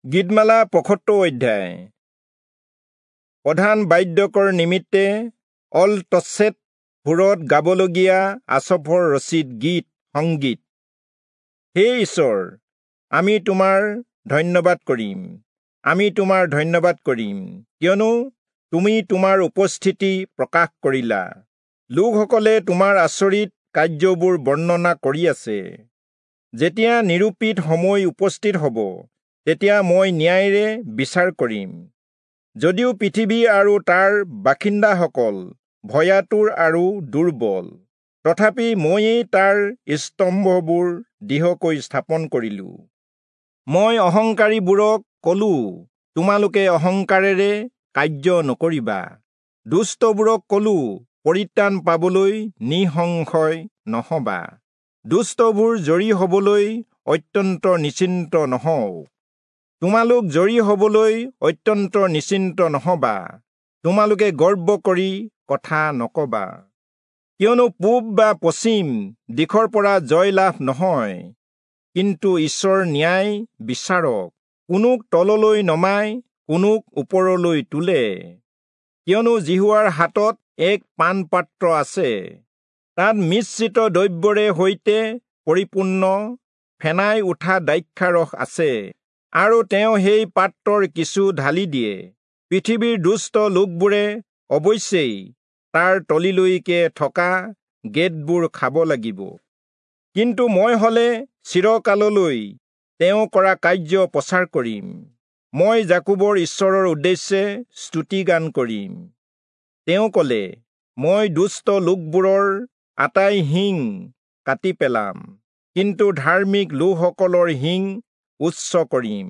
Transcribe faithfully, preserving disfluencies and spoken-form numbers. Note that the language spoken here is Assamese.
গীতমালা পঁয়সত্তৰ অধ্যায়। প্ৰধান বাদ্যকৰ নিমিত্তে অল তচ্ছেত সুৰত গাবলগীয়া আচফৰ ৰচিত গীত সংগীত। হে ঈশ্বৰ, আমি তোমাৰ ধন্যবাদ কৰিম, আমি তোমাৰ ধন্যবাদ কৰিম, কিয়নো তুমি তোমাৰ উপস্থিতি প্ৰকাশ কৰিলা। লোকসকলে তোমাৰ আচৰিত কাৰ্যবোৰ বৰ্ণনা কৰি আছে। যেতিয়া নিৰূপিত সময় উপস্থিত হ'ব, তেতিয়া মই ন্যায়েৰে বিচাৰ কৰিম। যদিও পৃথিৱী আৰু তাৰ বাসিন্দাসকল ভয়াতুৰ আৰু দুৰ্বল, তথাপি ময়েই তাৰ স্তম্ভবোৰ দৃঢ়কৈ স্থাপন কৰিলো। মই অহংকাৰীবোৰক কলো, তোমালোকে অহংকাৰেৰে কাৰ্য নকৰিবা। দুষ্টবোৰক কলো, পৰিত্ৰাণ পাবলৈ নিঃসংশয় নহবা। দুষ্টবোৰ জৰী হবলৈ অত্যন্ত নিশ্চিন্ত নহওক। তোমালোক জৰী হবলৈ অত্যন্ত নিশ্চিন্ত নহবা। তোমালোকে গৰ্ব কৰি কথা নকবা, কিয়নো পূব বা পশ্চিম দিশৰ পৰা জয় লাভ নহয়, কিন্তু ঈশ্বৰ ন্যায় বিচাৰক, কোনোক তললৈ নমাই কোনোক ওপৰলৈ তোলে। কিয়নো যিহোৱাৰ হাতত এক পানপাত্ৰ আছে, তাত মিশ্ৰিত দ্ৰব্যৰে সৈতে পৰিপূৰ্ণ ফেনাই উঠা দ্ৰাক্ষাৰস আছে, আৰু তেওঁ সেই পাত্ৰৰ কিছু ঢালি দিয়ে। পৃথিৱীৰ দুষ্ট লোকবোৰে অৱশ্যেই তাৰ তলিলৈকে থকা গেটবোৰ খাব লাগিব। কিন্তু মই হলে চিৰকাললৈ তেওঁ কৰা কাৰ্য প্ৰচাৰ কৰিম। মই যাকোবৰ ঈশ্বৰৰ উদ্দেশ্যে স্তুতিগান কৰিম। তেওঁ কলে, মই দুষ্ট লোকবোৰৰ আটাই শিং কাটি পেলাম, কিন্তু ধাৰ্মিক লোকসকলৰ শিং উচ্চ কৰিম।